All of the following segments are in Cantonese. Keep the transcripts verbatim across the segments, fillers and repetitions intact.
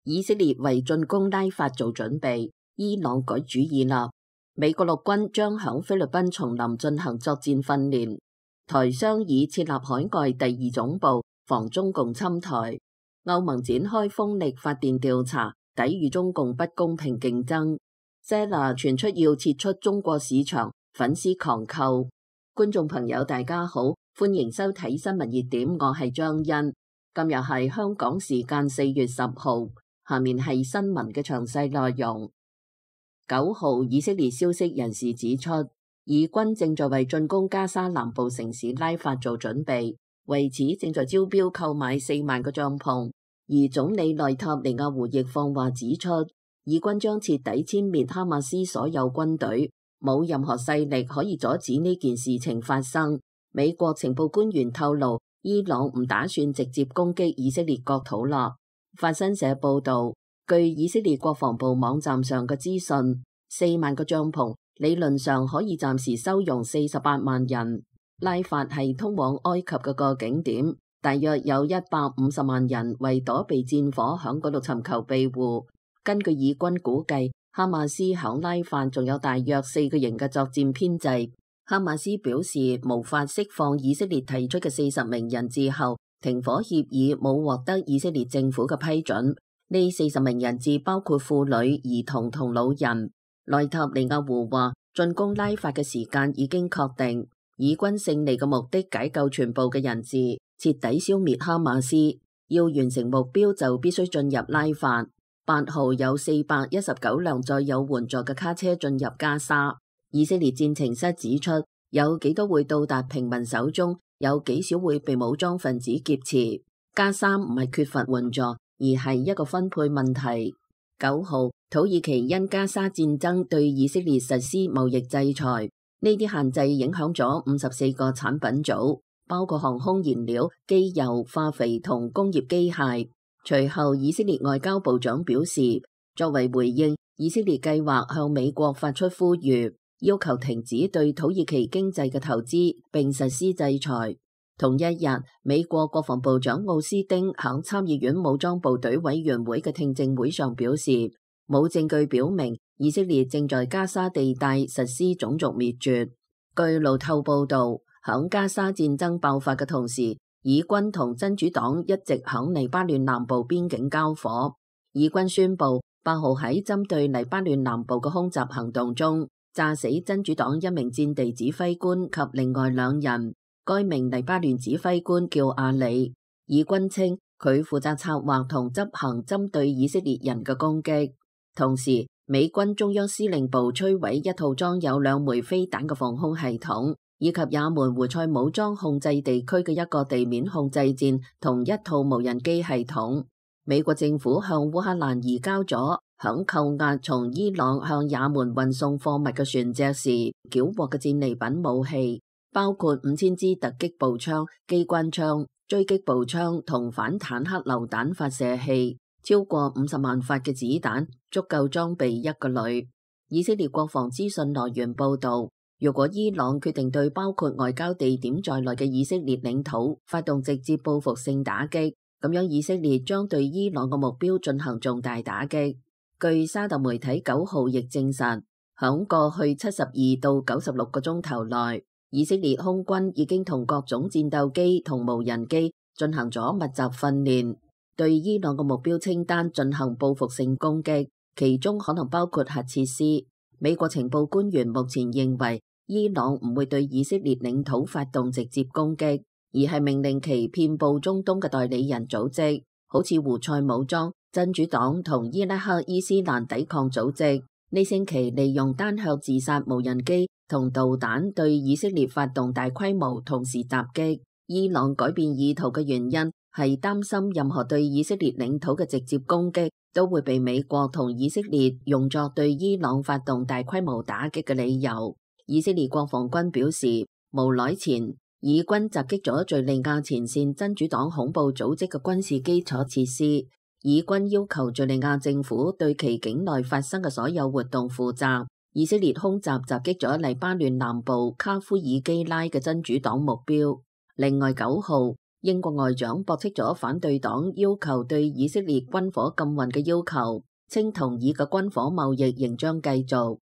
以色列為進攻拉法做準備，伊朗改主意啦。美國陸軍將響菲律賓叢林進行作戰訓練，台商議設立海外第二總部，防中共侵台。歐盟展開風力發電調查，抵禦中共不公平競爭。Zella 傳出要撤出中國市場，粉絲狂購。觀眾朋友大家好，歡迎收睇新聞熱點，我係張欣。今日係香港時間四月十號，下面係新聞嘅詳細內容。九號，以色列消息人士指出，以軍正在為進攻加沙南部城市拉法做準備，為此正在招標購買四萬個帳篷。而總理內塔尼亞胡亦放話指出，以軍將徹底殲滅哈馬斯所有軍隊，冇任何勢力可以阻止呢件事情發生。美國情報官員透露，伊朗唔打算直接攻擊以色列國土啦。法新社報道，據以色列國防部網站上嘅資訊，四萬個帳篷理論上可以暫時收容四十八萬人。拉法係通往埃及嘅個景點，大約有一百五十萬人為躲避戰火響嗰度尋求庇護。根據以軍估計，哈馬斯響拉法仲有大約四個營嘅作戰編制。哈馬斯表示無法釋放以色列提出嘅四十名人質後，停火協議冇獲得以色列政府嘅批准。呢四十名人質包括婦女、兒童同老人。內塔尼亞胡話，進攻拉法嘅時間已經確定，以軍勝利嘅目的解救全部嘅人質，徹底消滅哈馬斯。要完成目標就必須進入拉法。八號有四百一十九輛載有援助嘅卡車進入加沙。以色列戰情室指出，有幾多會到達平民手中，有幾少會被武裝分子劫持。加沙唔係缺乏援助，而係一個分配問題。九號，土耳其因加沙戰爭對以色列實施貿易制裁，呢啲限制影響咗五十四個產品組，包括航空燃料、機油、化肥同工業機械。隨後，以色列外交部長表示，作為回應，以色列計劃向美國發出呼籲，要求停止對土耳其經濟嘅投資，並實施制裁。同一日，美國國防部長奧斯丁喺參議院武裝部隊委員會嘅聽證會上表示，冇證據表明以色列正在加沙地帶實施種族滅絕。據路透報道，喺加沙戰爭爆發嘅同時，以軍同真主黨一直響黎巴嫩南部邊境交火。以軍宣布八號喺針對黎巴嫩南部嘅空襲行動中，炸死真主黨一名戰地指揮官及另外兩人。該名黎巴嫩指揮官叫阿里。以軍稱佢負責策劃同執行針對以色列人嘅攻擊。同時，美軍中央司令部摧毀一套裝有兩枚飛彈嘅防空系統，以及也門胡塞武裝控制地區嘅一個地面控制站同一套無人機系統。美國政府向烏克蘭移交咗響扣押從伊朗向也門運送貨物嘅船隻時繳獲嘅戰利品武器，包括五千支突擊步槍、機關槍、狙擊步槍同反坦克榴彈發射器，超過五十萬發嘅子彈，足夠裝備一個旅。以色列國防資訊來源報道，如果伊朗決定對包括外交地點在內嘅以色列領土發動直接報復性打擊，咁樣以色列將對伊朗嘅目標進行重大打擊。據沙特媒體九號亦證實，響過去七十二到九十六個鐘頭內，以色列空軍已經同各種戰鬥機同無人機進行咗密集訓練，對伊朗嘅目標清單進行報復性攻擊，其中可能包括核設施。美國情報官員目前認為，伊朗唔會對以色列領土發動直接攻擊，而係命令其遍佈中東嘅代理人組織，好似胡塞武裝、真主黨同伊拉克伊斯蘭抵抗組織，呢星期利用單向自殺無人機同導彈對以色列發動大規模同時襲擊。伊朗改變意圖嘅原因係擔心任何對以色列領土嘅直接攻擊都會被美國同以色列用作對伊朗發動大規模打擊嘅理由。以色列國防軍表示，無耐前以軍襲擊咗敘利亞前線真主黨恐怖組織嘅軍事基礎設施。以軍要求敘利亞政府對其境內發生嘅所有活動負責。以色列空襲襲擊咗黎巴嫩南部卡夫爾基拉嘅真主黨目標。另外九號，英國外長駁斥咗反對黨要求對以色列軍火禁運嘅要求，稱同意嘅軍火貿易仍將繼續。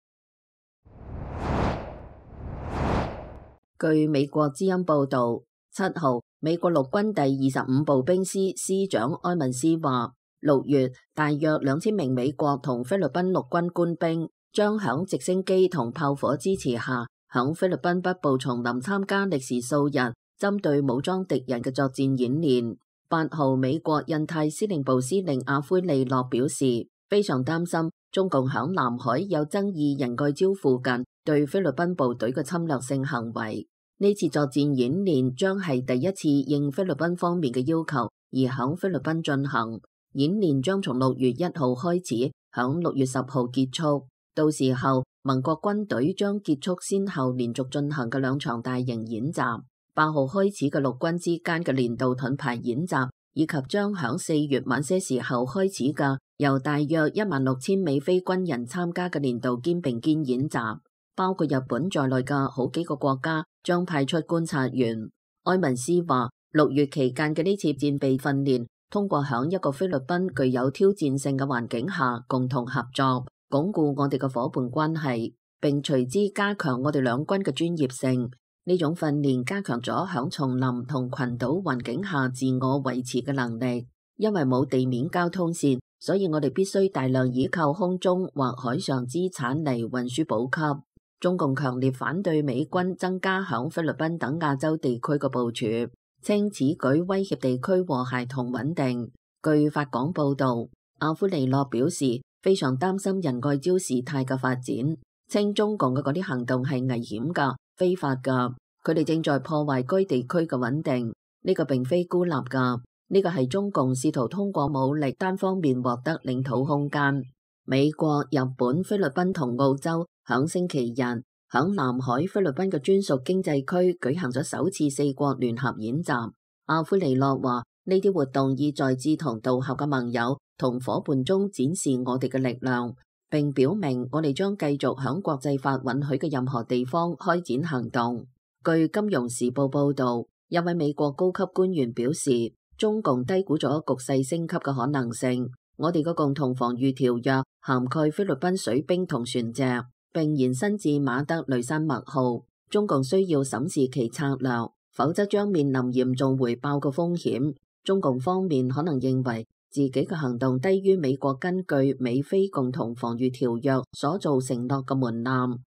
據美國之音報導，七號美國陸軍第二十五步兵師師長埃文斯話，六月大約兩千名美國同菲律賓陸軍官兵將響直升機同炮火支持下，響菲律賓北部叢林參加歷時數日針對武裝敵人嘅作戰演練。八號美國印太司令部司令阿奎利諾表示，非常擔心中共響南海有爭議仁愛礁附近對菲律賓部隊嘅侵略性行為。呢次作戰演練將係第一次應菲律賓方面嘅要求而響菲律賓進行。演練將從六月一號開始，響六月十號結束。到時候，盟國軍隊將結束先後連續進行嘅兩場大型演習。八號開始嘅陸軍之間嘅年度盾牌演習，以及將響四月晚些時候開始嘅由大約一萬六千美菲軍人參加嘅年度肩並肩演習，包括日本在內嘅好幾個國家將派出觀察員。埃文斯話，六月期間嘅呢次戰備訓練，通過響一個菲律賓具有挑戰性嘅環境下共同合作，鞏固我哋嘅夥伴關係，並隨之加強我哋兩軍嘅專業性。呢種訓練加強咗響叢林同群島環境下自我維持嘅能力。因為冇地面交通線，所以我哋必須大量依靠空中或海上資產嚟運輸補給。中共強烈反對美軍增加響菲律賓等亞洲地區嘅部署，稱此舉威脅地區和諧同穩定。據法廣報導，阿奎利諾表示非常擔心仁愛礁事態嘅發展，稱中共嘅嗰啲行動係危險㗎、非法㗎，佢哋正在破壞該地區嘅穩定。呢個並非孤立㗎，呢個係中共試圖通過武力單方面獲得領土空間。美國、日本、菲律賓同澳洲響星期日響南海菲律賓嘅專屬經濟區舉行咗首次四國聯合演習。阿奎利諾話，呢啲活動意在志同道合嘅盟友同夥伴中展示我哋嘅力量，並表明我哋將繼續響國際法允許嘅任何地方開展行動。據金融時報報導，一位美國高級官員表示，中共低估咗局勢升級嘅可能性。我哋嘅共同防禦條約涵蓋菲律賓水兵同船隻，並延伸至馬德雷山脈號。中共需要審視其策略，否則將面臨嚴重回爆嘅風險。中共方面可能認為自己嘅行動低於美國根據美菲共同防禦條約所做承諾嘅門檻。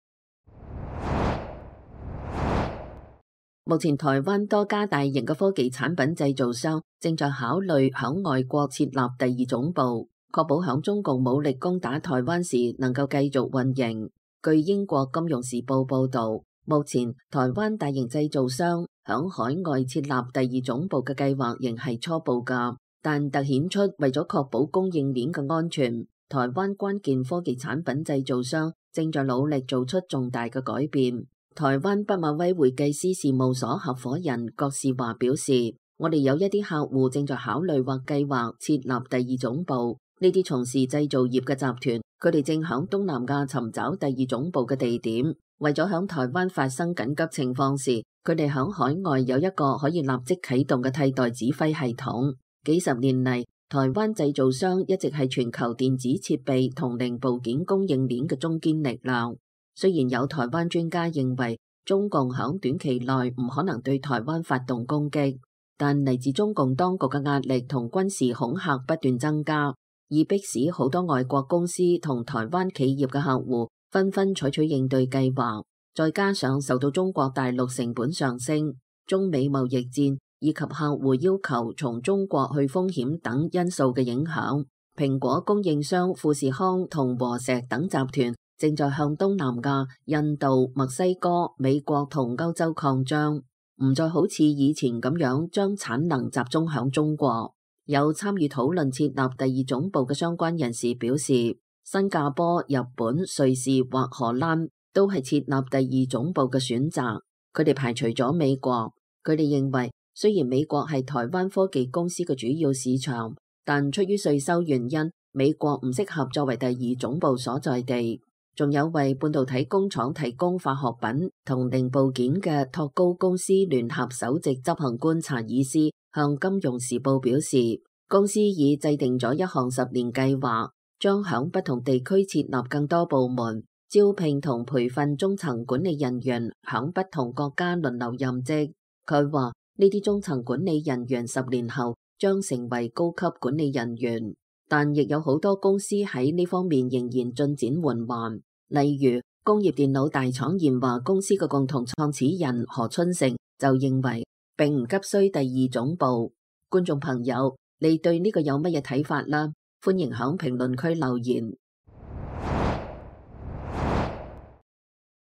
目前台灣多家大型嘅科技產品製造商正在考慮響外國設立第二總部，確保響中共武力攻打台灣時能夠繼續運營。據英國金融時報報導，目前台灣大型製造商響海外設立第二總部嘅計劃仍係初步㗎，但凸顯出為咗確保供應鏈嘅安全，台灣關鍵科技產品製造商正在努力做出重大嘅改變。台灣畢馬威會計師事務所合夥人郭士華表示，我哋有一啲客戶正在考慮或計劃設立第二總部。呢啲從事製造業嘅集團，佢哋正響東南亞尋找第二總部嘅地點，為咗響台灣發生緊急情況時，佢哋響海外有一個可以立即啟動嘅替代指揮系統。幾十年嚟，台灣製造商一直係全球電子設備同零部件供應鏈嘅中堅力量。雖然有台灣專家認為中共響短期內唔可能對台灣發動攻擊，但嚟自中共當局嘅壓力同軍事恐嚇不斷增加，以迫使好多外國公司同台灣企業嘅客戶紛紛採取應對計劃。再加上受到中國大陸成本上升、中美貿易戰以及客戶要求從中國去風險等因素嘅影響，蘋果供應商富士康同和碩等集團正在向東南亞、印度、墨西哥、美國同歐洲擴張，唔再好似以前咁樣將產能集中響中國。有參與討論設立第二總部嘅相關人士表示，新加坡、日本、瑞士或荷蘭都係設立第二總部嘅選擇。佢哋排除咗美國。佢哋認為，雖然美國係台灣科技公司嘅主要市場，但出於稅收原因，美國唔適合作為第二總部所在地。仲有為半導體工廠提供化學品同零部件嘅托高公司聯合首席執行官查爾斯向《金融時報》表示，公司已制定咗一項十年計劃，將響不同地區設立更多部門，招聘同培訓中層管理人員，響不同國家輪流任職。佢話呢啲中層管理人員十年後將成為高級管理人員，但亦有好多公司喺呢方面仍然進展緩慢。例如，工業電腦大廠研華公司嘅共同創始人何春成就認為並唔急需第二總部。觀眾朋友，你對呢個有乜嘢睇法啦？歡迎響評論區留言。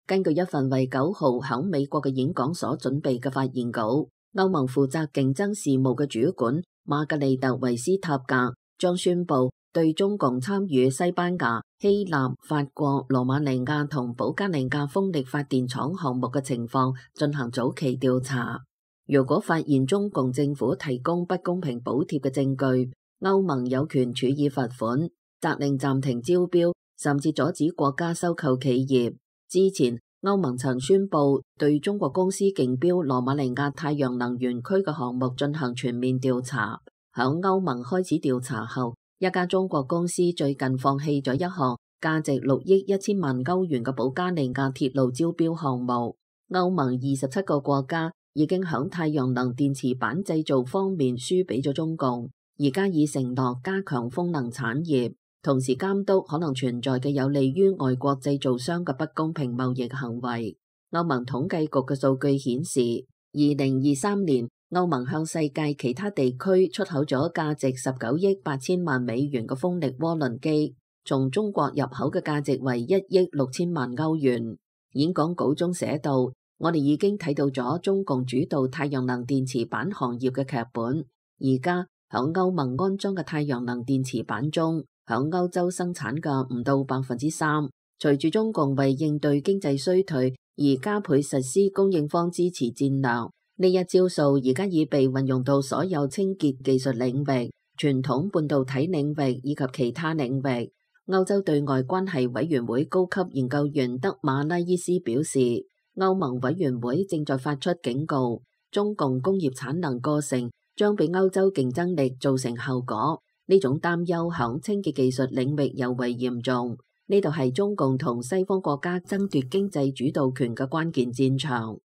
根據一份為九號響美國嘅演講所準備嘅發言稿，歐盟負責競爭事務嘅主管瑪格麗特維斯塔格將宣布對中共參與西班牙、希臘、法國、羅馬尼亞同保加利亞風力發電廠項目嘅情況進行早期調查。如果發現中共政府提供不公平補貼嘅證據，歐盟有權處以罰款、責令暫停招標，甚至阻止國家收購企業。之前歐盟曾宣布對中國公司競標羅馬尼亞太陽能園區嘅項目進行全面調查。響歐盟開始調查後，一家中國公司最近放棄咗一項價值六億一千萬歐元嘅保加利亞鐵路招標項目。歐盟二十七個國家已經響太陽能電池板製造方面輸俾咗中共，而家已承諾加強風能產業，同時監督可能存在嘅有利於外國製造商嘅不公平貿易行為。歐盟統計局嘅數據顯示，二零二三年歐盟向世界其他地區出口咗價值十九億八千萬美元嘅風力渦輪機，從中國入口嘅價值為一億六千萬歐元。演講稿中寫道，我哋已經睇到咗中共主導太陽能電池板行業嘅劇本。而家響歐盟安裝嘅太陽能電池板中，響歐洲生產嘅唔到百分之三。隨住中共為應對經濟衰退而加倍實施供應方支持戰略，呢一招數而家已被運用到所有清潔技術領域、傳統半導體領域以及其他領域。歐洲對外關係委員會高級研究員德馬拉伊斯表示，歐盟委員會正在發出警告，中共工業產能過剩將俾歐洲競爭力造成後果。呢種擔憂響清潔技術領域尤為嚴重。呢度係中共同西方國家爭奪經濟主導權嘅關鍵戰場。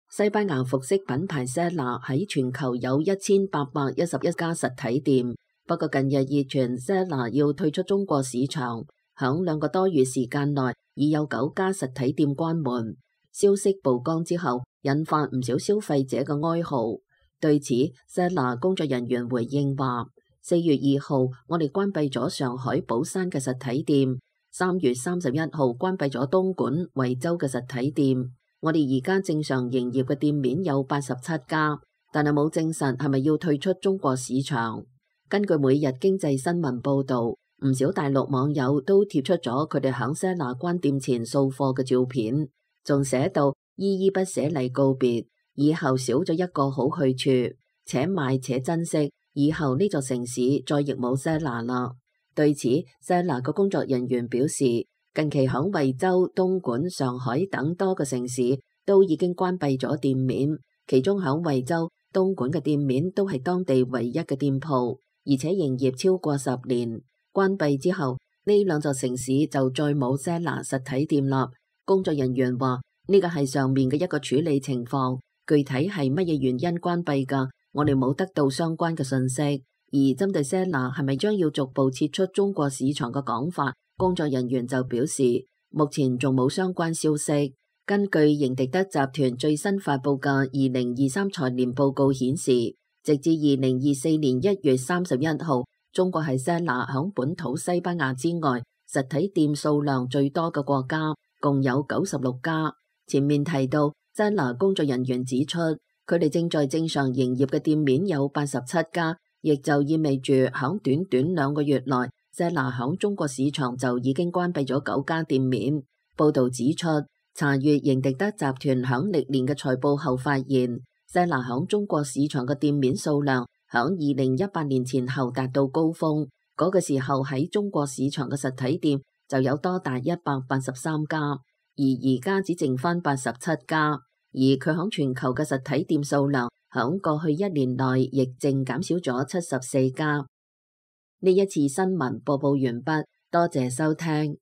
西班牙服飾品牌 Zara 喺全球有一千八百一十一家實體店，不過近日熱傳 Zara 要退出中國市場，響兩個多月時間內已有九家實體店關門。消息曝光之後，引發唔少消費者嘅哀號。對此 Zara 工作人員回應話，四月二號我哋關閉咗上海寶山嘅實體店，三月三十一號關閉咗東莞惠州嘅實體店。我哋而家正常營業嘅店面有八十七家，但係冇證實係咪要退出中國市場。根據每日經濟新聞報道，唔少大陸網友都貼出咗佢哋響 Zara 關店前掃貨嘅照片，仲寫到依依不捨嚟告別，以後少咗一個好去處，且買且珍惜，以後呢座城市再亦冇 Zara 啦。對此 Zara 嘅工作人員表示，近期響惠州、東莞、上海等多個城市都已經關閉咗店面，其中響惠州、東莞嘅店面都係當地唯一嘅店鋪，而且營業超過十年。關閉之後，呢兩座城市就再冇 Zara 實體店啦。工作人員話呢個係上面嘅一個處理情況，具體係乜嘢原因關閉噶，我哋冇得到相關嘅信息。而針對 Zara 係咪將要逐步撤出中國市場嘅講法，工作人員就表示，目前仲冇相關消息。根據營迪德集團最新發佈嘅二零二三財年報告顯示，直至二零二四年一月三十一號，中國係 Zara 響本土西班牙之外實體店數量最多嘅國家，共有九十六家。前面提到 Zara 工作人員指出，佢哋正在正常營業嘅店面有八十七家，亦就意味住響短短兩個月內，Zara 響中國市場就已經關閉咗九家店面。報道指出，查閱營迪德集團響歷年嘅財報後發現， Zara 響中國市場嘅店面數量響二零一八年前後達到高峰，嗰個時候喺中國市場嘅實體店就有多達一百八十三家，而而家只剩翻八十七家。而佢響全球嘅實體店數量響過去一年內亦淨減少咗七十四家。呢一次新聞播報完畢，多謝收聽。